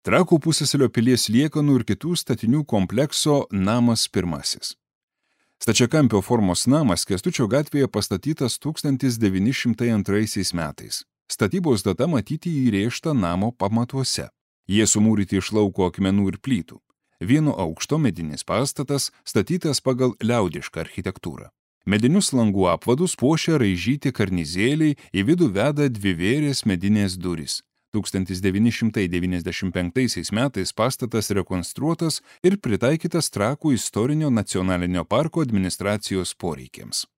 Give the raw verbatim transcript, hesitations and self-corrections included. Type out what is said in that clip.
Trakų pusiasalio pilies liekanų ir kitų statinių komplekso namas pirmasis. Stačiakampio formos namas Kęstučio gatvėje pastatytas tūkstantis devyni šimtai antraisiais metais. Statybos data matyti įrėžta namo pamatuose. Jie sumūryti iš lauko akmenų ir plytų. Vieno aukšto medinis pastatas statytas pagal liaudišką architektūrą. Medinius langų apvadus puošia raižyti karnizėliai, į vidų veda dvivėrės medinės durys. tūkstantis devyni šimtai devyniasdešimt penktaisiais metais pastatas rekonstruotas ir pritaikytas Trakų istorinio nacionalinio parko administracijos poreikiams.